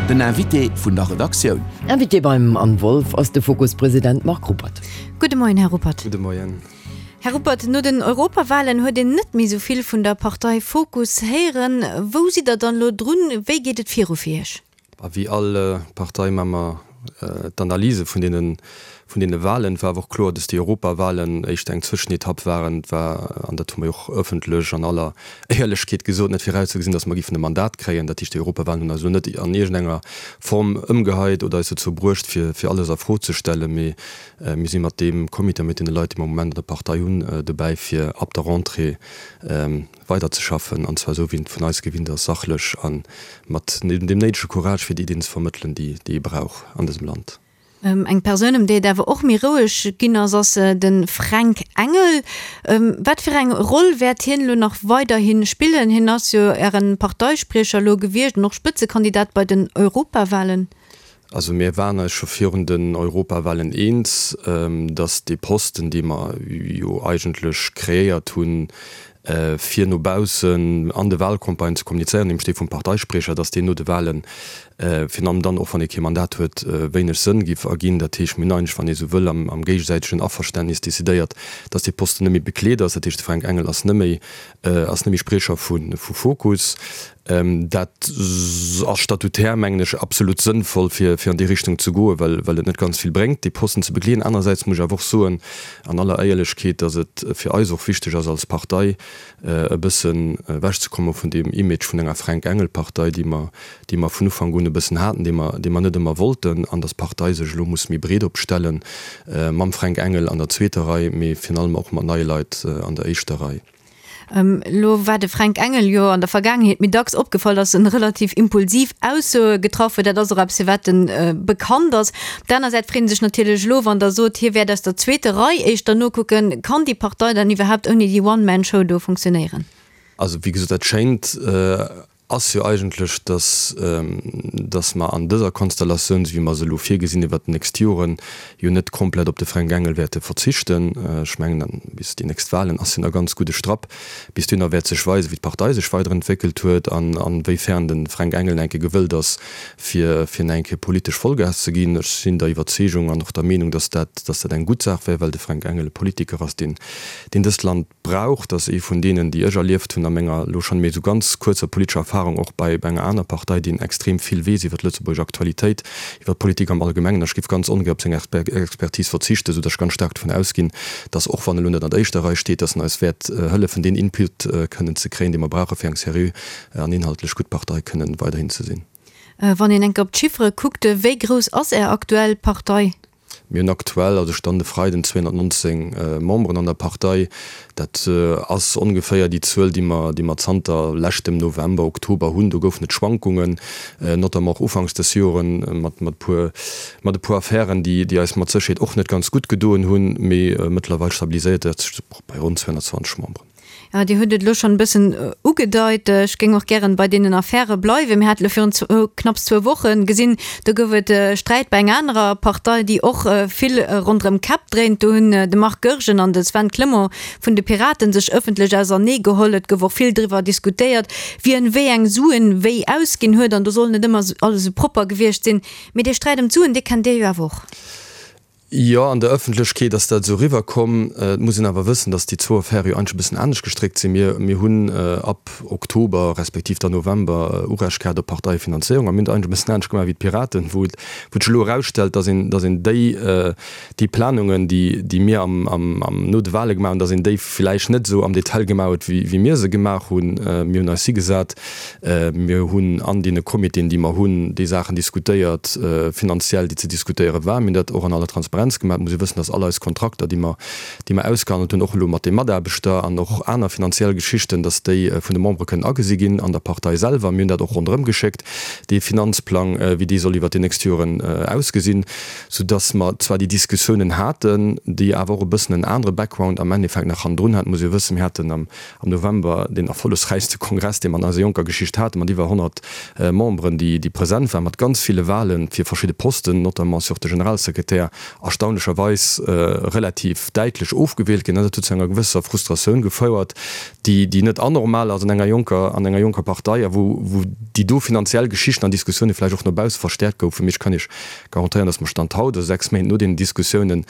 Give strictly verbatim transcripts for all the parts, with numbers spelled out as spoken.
Den Invité vun der Redaktioun. Invité beim Anne Wolff ass de Fokus-President Marc Ruppert. Gudde Moien, Här Ruppert. Gudde Moien. Här Ruppert, no den Europawalen huet een net méi sou vill vun der Partei Fokus héieren. Wou sidd der dann elo drun? Wéi geet et viru fir Iech? Wéi all Partei maache mer d'Analyse vun deene vun deene Walen. Et war awer och kloer, dass déi Europawalen éischter eng Zwëschenetapp waren. Et war, an dat hu mer jo och ëffentlech an aller Éierlechkeet gesot, net virauszegesinn, dass mer géifen e Mandat kréien. Dat heescht, déi Europawalen hunn eis elo net an iergendenger Form ëmgeheit oder eis dozou bruecht, fir fir alles a Fro ze stellen. Mee Mir si mat deem Comité a mat deene Leit, déi mer am Moment an der Partei hunn, dobäi fir ab der Rentrée weiderzeschaffen, an zwar esou wéi een et vun eis gewinnt ass, sachlech a mat deem néidege Courage, fir déi Iddien ze vermëttelen, déi ee brauch an dësem Land. Eng Persoun, ëm déi et awer och méi roueg ginn ass, ass de Fränk Engel. Wat fir eng Roll wäert hien elo nach weiderhi spillen? Hien ass jo Äre Parteispriecher elo gewiescht an och Spëtzekandidat bei den Europawalen. Also mir waren eis scho virun den Europawahlen eens, datt dee Posten, dee mer jo eigentlech kreéiert hunn, fir no baussen an de Wahlcampagnen ze kommunizéieren, nämlech dee vum Parteispriecher, datt deen no de Wahlen, virun allem dann och wann ee kee Mandat huet, wéineg Sënn giff erginn. Dat heescht, mir hunn eigentlech, wann ee sou wëll, am géigesäitegen Averständnis decidéiert, datt dee Posten net méi bekleet ass. Dat heescht, de Fränk Engel ass net méi ass net méi Spriecher vu Fokus. Dat ass statutär, mengen ech, absolut sënnvoll, fir an déi Richtung ze goen, well et net ganz vill bréngt, dee Posten ze begleeden. Anerersäits muss ech awer och soen, an aller Éierlechkeet, datt et fir eis och wichteg ass als Partei, e bëssen ewechzekomme vun deem Image vun enger Fränk-Engel-Partei, déi mer, déi mer vun Ufank un e bëssen haten, déi mer, déi mer net ëmmer wollten, an datt d'Partei sech elo muss méi breet opstellen, mam Fränk Engel an der zweeter Rei, mee virun allem och mat neie Leit an der éischter Rei. Elo war de Fränk Engel jo an der Vergaangenheet méi dacks opgefall, datt en relativ impulsiv Aussoe getraff huet. Dat ass och eppes, fir wat en bekannt ass. Op der aner Säit freet ee sech natierlech elo, wann Der sot, hie wäert aus der zweeter Rei éischter nokucken, kann déi Partei dann iwwerhaapt ouni déi One-Man-Show do funktionéieren? Also wéi gesot, dat schéint ass jo eigentlech, dass, dass mer an dëser Konstellatioun, esou wéi mer se elo virgesinn iwwert déi nächst Joren, jo net komplett op de Fränk Engel wäerte verzichten. Ech mengen, dann bis déi nächst Wahlen ass jo nach ganz gudde Strapp. Bis dohinner wäert sech weisen, wéi d'Partei sech weiderentwéckelt huet an a wéi fern de Fränk Engel nach eng Kéier gewëllt ass, fir, fir nach eng Kéier politesch Vollgas ze ginn. Ech sinn der Iwwerzeegung an och der Meenung, dass dat, dass dat eng gutt Saach wär, well de Fränk Engel e Politiker ass, deen, deen dëst Land brauch. Dat ass ee vun deenen, déi ech erlieft hunn a menger elo schonn méi esou ganz kuerzer politescher Erfahrung, och bei enger aner Partei, deen extrem vill weess iwwer d'lëtzebuergesch Aktualitéit, iwwer d'Politik am Allgemengen. Ech géif ganz ongär op seng Expertise verzichten, esou datt ech ganz staark dovun ausginn, datt, och wann e lo net an der éischter Rei steet, datt en eis wäert hëllefen, deen Input kënnen ze kréien, dee mer brauchen, fir eng seriö an inhaltlech gutt Partei kënnen weiderhin ze sinn. Wann een enk op d'Chiffere kuckt, wéi grouss ass Är aktuell Partei? Mir hunn aktuell, also Stand e Freiden, zweehonnertnonzéng Memberen an der Partei. Dat ass ongeféier déi Zuel, déi mer, déi mer zanter leschtem November, Oktober hunn. Do goufen et Schwankungen, notamment och ufanks des Joren mat, mat puer, mat e puer Affären, déi, déi eis mat Sécherheet och net ganz gutt gedoen hunn. Mee mëttlerweil stabiliséiert dat sech bei ronn zweehonnertzwanzeg Memberen. Jo, Dir hutt et elo schonn e bëssen ugedeit. Ech géing och gären bei deenen Affäre bleiwen. Mir hate elo virun knapps zwou Woche gesinn, do gouf et Sträit bei enger anerer Partei, déi och vill ronderëm Käpp dréint. Do hunn de Marc Goergen an de Sven Clement vun de Piraten sech ëffentlech ausernee geholl. Et gouf och vill driwwer diskutéiert, wien wéi eng Suen wéi ausginn huet. An do soll net ëmmer alles esou propper gewiescht sinn. Mee dee Sträit ëm d'Suen, dee kennt Dir jo awer och. Jo, an der Ëffentlechkeet ass dat esou eriwwer komm. Et muss een awer wëssen, datt déi zwou Affäre jo eigentlech e bëssen anescht gestréckt sinn. Mir, mir hunn ab Oktober respektiv dann November Urecht gehat op Parteiefinanzéierung a mir hunn dat eigentlech e bëssen anescht gemaach wéi d'Piraten, wou et, wou et sech elo erausstellt, datt een, datt een déi, déi Planungen, déi, déi mir am, am, am, no de Wahle gemaach hunn, datt een déi villäicht net esou am Detail gemaach huet, wéi, wéi mir se gemaach hunn. Mir hunn eis higesat, mir hunn an deene Comitéen, déi mer hunn, déi Saachen diskutéiert, finanziell, déi ze diskutéiere waren. Mir hunn dat och an aller Transparenz gemaach. Et muss ee wëssen, dass all eis Kontrakter, déi mer, déi mer ausgehandelt hunn, och elo mat de Mataarbechter an och aner finanziell Geschichten, dass déi vun de Membere kënnen agesi ginn an der Partei selwer. Mir hunn dat och ronderëm geschéckt, dee Finanzplang, wéi dee soll iwwert déi nächst Joren ausgesinn, soudass mer zwar déi Diskussiounen haten, déi awer och e bëssen en anere Background am Endeffekt nach hannendrun haten. Et muss ee wëssen, mir haten am November deen erfollegsräichste Kongress, dee mer an eiser jonker Geschicht haten, mat iwwer honnert Memberen, déi present waren, mat ganz ville Wahlen fir verschidde Posten, notamment sur de Generalsekretär erstaunlecherweis relativ däitlech ofgewielt ginn. Dat huet zu enger gewësser Frustratioun gefouert, déi, déi net anormal ass an enger jonker, an enger jonker Partei a wou, wou déi do finanziell Geschichten an Diskussioune vläicht och no bausse verstäerkt goufen. Mee ech kann Iech garantéieren, dass mer Stand haut, also sechs Méint no deenen Diskussiounen,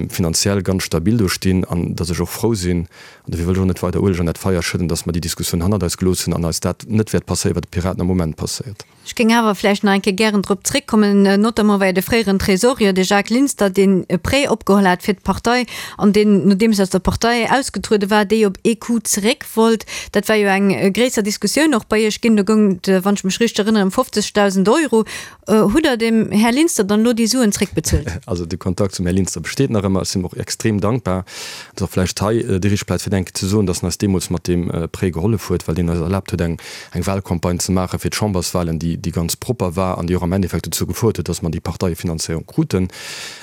finanziell ganz stabil do stinn an dass ech och frou sinn, an dofir wëll ech och net weider Ueleg an dat Feier schëdden, dass mer déi Diskussioun hannert eis gelooss hunn an eis dat net wäert passéieren, wat de Piraten am Moment passéiert. Ech géing awer vläicht nach eng Kéier gären drop zréckkommen, notamment well de fréieren Tresorier, de Jacques Linster, deen e Prêt opgeholl hat fir d'Partei an deen, nodeems aus der Partei ausgetruede war, déi op ee Coup zeréck wollt. Dat war jo eng gréisser Diskussioun och bei Iech ginn. Do goung et, wann ech mech richteg erënneren, ëm fofzegdausend Euro. Hutt Der dem Här Linster dann elo déi Suen zréckbezuelt? Also de Kontakt zum Här Linster besteet nach ëmmer. Ech sinn him och extrem dankbar. Et ass och vläicht hei déi richteg Plaz fir eng Kéier ze soen, dass en eis deemools mat deem Prêt gehollef huet, well deen eis erlaabt huet, eng eng Wahlcampagne ze maache fir d'Chamberswahlen, déi déi ganz propper war an déi och am Endeffekt dozou gefouert huet, dass mer déi Parteiefinanzéierung kruten.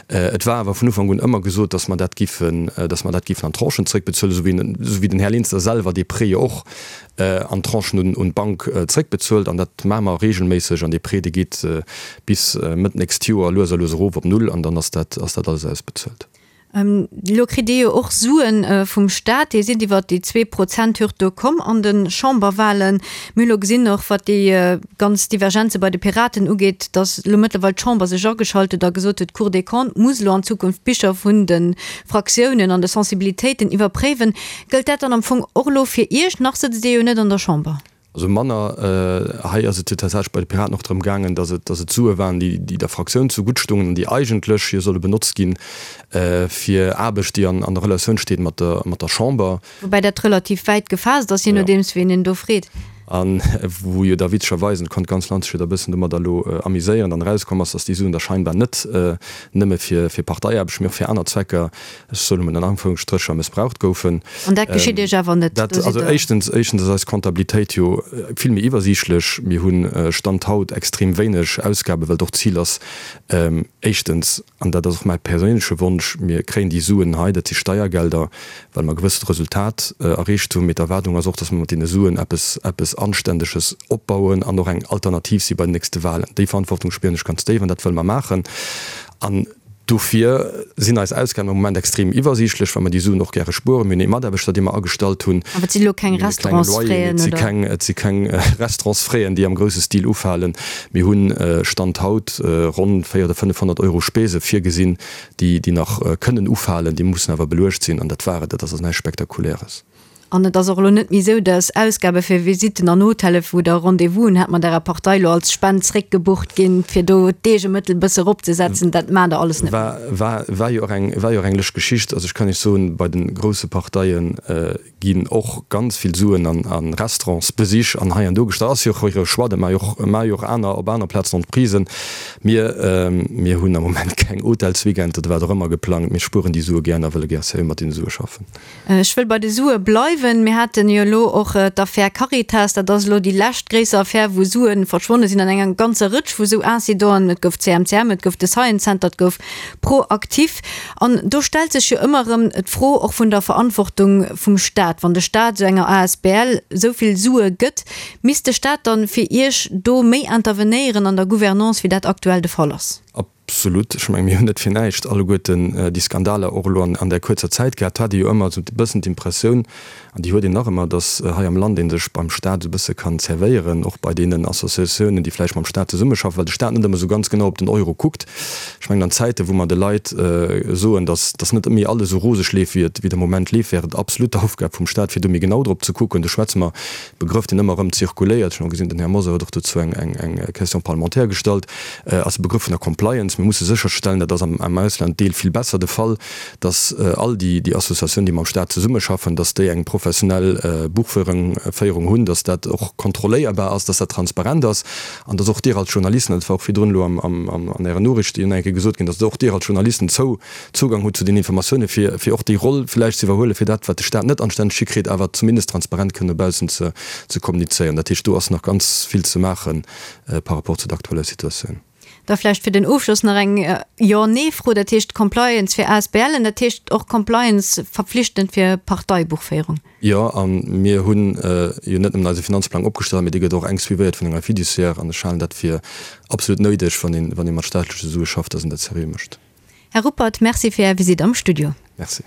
Et war awer vun Ufank un ëmmer gesot, dass mer dat giffen, dass mer dat giffen an Tranchen zréckbezuelen, esou wéi esou wéi den Här Linster selwer dee Prêt jo och an Tranchen un un d'Bank zréckbezuelt. An dat maache mer regelméisseg. An dee Prêt, dee geet bis Mëtt nächst Joer lues a lues erof op Null an dann ass dat ass dat alles ausbezuelt. Elo kritt Dir jo och Suen vum Staat. Dir sidd iwwert déi zwee Prozent Hürd do komm an de Chamberwahlen. Mir hu lo gesinn, och wat déi ganz Divergenze bei de Piraten ugeet, datt elo mëttlerweil d'Chamber sech ageschalt huet a gesot huet, d'Cour des Comptes muss elo an Zukunft d'Bicher vun de Fraktiounen an de Sensibilitéiten iwwerpréiwen. Gëllt dat dann am Fong och elo fir Iech? Nach sëtzt Dir jo net an der Chamber. Also manner. Hei ass et jo tatsächlech bei de Piraten och drëm gaangen, datt et, datt et Sue waren, déi, déi der Fraktioun zegutt stungen an déi eigentlech jo solle benotzt ginn fir Aarbecht, déi an, an der Relatioun steet mat der, mat der Chamber. Woubäi dat relativ wäit gefaasst ass, je nodeems wien een do freet. A wou jo da witzegerweis, an et konnt d'ganz Land sech jo da e bëssen domadder elo amuséieren, dann erauskomm ass, datt déi Suen da scheinbar net nëmme fir, fir Parteiaarbecht, mee och fir aner Zwecker, ech soen emol an Anführungsstrécher, mëssbraucht goufen. An dat geschitt Iech awer net? Dat, also éischtens, éischtens ass eis Comptabilitéit jo vill méi iwwersiichtlech. Mir hu Stand haut extrem wéineg Ausgaben, well et och d'Zil ass, éischtens, an dat ass och mäi perséinleche Wonsch, mir kréien déi Suen hei, dat si Steiergelder, well mer e gewëssent Resultat erreecht hunn, mee d'Erwaardung ass och, datt mer mat deene Suen eppes, eppes Anständeges opbauen an och eng Alternativ si bei den nächste Wahlen. Déi Verantwortung spieren ech ganz déif an dat wëlle mer maachen. An dofir sinn eis Ausgaben am Moment extrem iwwersiichtlech, well mer déi Suen och gäre spueren. Mir hunn ee Mataarbechter, dee mer agestallt hunn. Awer et sinn elo keng Restaurantsfraisen, oder? Et si keng Restaurantsfraisen, déi am grousse Stil ufalen. Mir hu Stand haut ronn véier oder fënnefhonnert Euro Spese virgesinn, déi nach kënnen ufalen. Déi mussen awer beluecht sinn. An dat war et. Dat ass also näischt Spektakuläres. An et ass och elo net méi esou, datt Ausgabe fir Visitten an Hotelle wou Der Rendez-vousen hat mat Ärer Partei elo als Spend zréckgebucht ginn, fir do d'Eegemëttel e bësse eropzesetzen. Dat maacht Der alles net méi. War, war jo och eng, war jo och eng lëscht Geschicht. Also ech kann Iech soen, bei de grousse Parteie ginn och ganz vill Suen an a Restaurantsbesich an hei an do gestach. Ass jo och hire Choix, dat maache jo och, maache jo och aner op aner Plazen Entreprisen. Mir, mir hunn am Moment keng Hotelsweekender oder wat och ëmmer geplangt. Mir spueren déi Sue gär an a wëlle gär seriö mat deene Sue schaffen. Ech wëll bei de Sue bleiwen. Mir haten jo elo och d'Affär Caritas. Dat ass elo déi lescht gréisser Affär, wou Sue verschwonne sinn an enger ganzer Rëtsch vu sou Incidenten. Et gouf d'CMCM, et gouf de Science Center, et gouf ProActif. An do stellt sech jo ëmmer erëm d'Fro och vun der Verantwortung vum Staat. Wann de Staat esou enger asbl esou vill Sue gëtt, misst de Staat dann fir Iech do méi intervenéieren an der Gouvernance, wéi dat aktuell de Fall ass? Absolut. Ech mengen, mir hunn net fir näischt alleguerten déi Skandaler och elo an där kuerzer Zäit gehat. Et hat ee jo ëmmer esou e bëssen d'Impressioun, an déi huet een nach ëmmer, datt hei am Land ee sech beim Stat esou e bësse kann zerwéieren, och bei deenen Associatiounen, déi vläicht mam Stat zesummeschaffen, well de Stat net ëmmer esou ganz genau op den Euro kuckt. Ech mengen, an Zäiten, wou mer de Leit soen, datt datt net méi alles esou roseg leeft, wéi et wéi et am Moment leeft, wär et absolut d'Aufgab vum Stat, fir do méi genau drop ze kucken. Do schwätze mer Begrëff, deen ëmmer erëm zirkuléiert, ech hunn och gesinn, den Här Mosar huet och dozou eng, eng, eng Question parlementaire gestallt, ass de Begrëff vun der Compliance. Mir musse sécherstellen, dat ass am, am Ausland deel vill besser de Fall, dass all déi, déi Associatiounen, déi mam Stat zesummeschaffen, dass déi eng professionell Buchféierung, Féierung hunn, dass dat och kontrolléierbar ass, dass dat transparent ass an dass och Dir als Journalisten, dat war och virdrun elo am, am, am, an Ären Noriichten eng Kéier gesot ginn, dass och Dir als Journalisten zou, Zugang hutt zu den Informatiounen, fir, fir och déi Roll vläicht ze iwwerhuelen, fir dat, wat de Stat net anstänneg hikritt, awer zumindest transparent kënnen no baussen ze, ze kommunizéieren. Dat heescht, do ass nach ganz vill ze maache par rapport zu der aktueller Situatioun. Da vläicht fir den Ofschloss nach eng Jo-Nee-Fro. Dat heescht Compliance fir ASBLen, dat heescht och Compliance verpflichtend fir Parteibuchféierung? Jo, a mir hu jo net nëmmen eise Finanzplang opgestallt, mee dee gëtt och enk suivéiert vun enger Fiduciaire. An ech halen dat fir absolut néideg, wann ee, wann ee mat staatleche Sue schafft, dass een dat seriö mécht. Här Ruppert, Merci fir Är Visitt am Studio. Merci.